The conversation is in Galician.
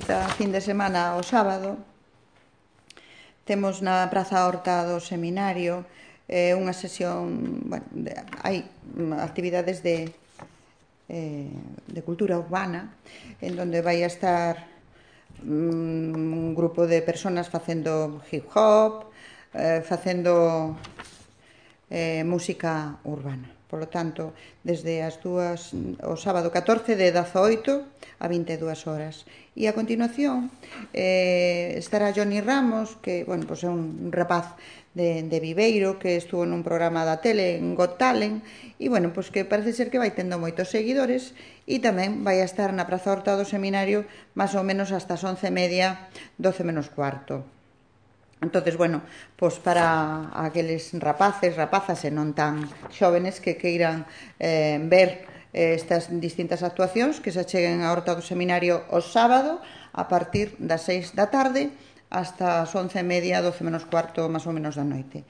Esta fin de semana, o sábado, temos na Praza Horta do Seminario unha sesión, hai actividades de cultura urbana, en donde vai a estar un grupo de personas facendo hip hop, facendo música urbana. Por lo tanto, desde as dúas, o sábado 14 de 18 a 22 horas. E a continuación estará Johnny Ramos, que é un rapaz de Viveiro, que estuvo nun programa da tele, en Got Talent, e que parece ser que vai tendo moitos seguidores, e tamén vai a estar na Praza Horta do Seminario máis ou menos hasta as 11:30, 12 menos cuarto. Entonces, para aqueles rapazas e non tan xóvenes que queiran ver estas distintas actuacións, que se acheguen á Horta do Seminario o sábado a partir das 6 da tarde hasta as 11:30, 12 menos cuarto máis ou menos da noite.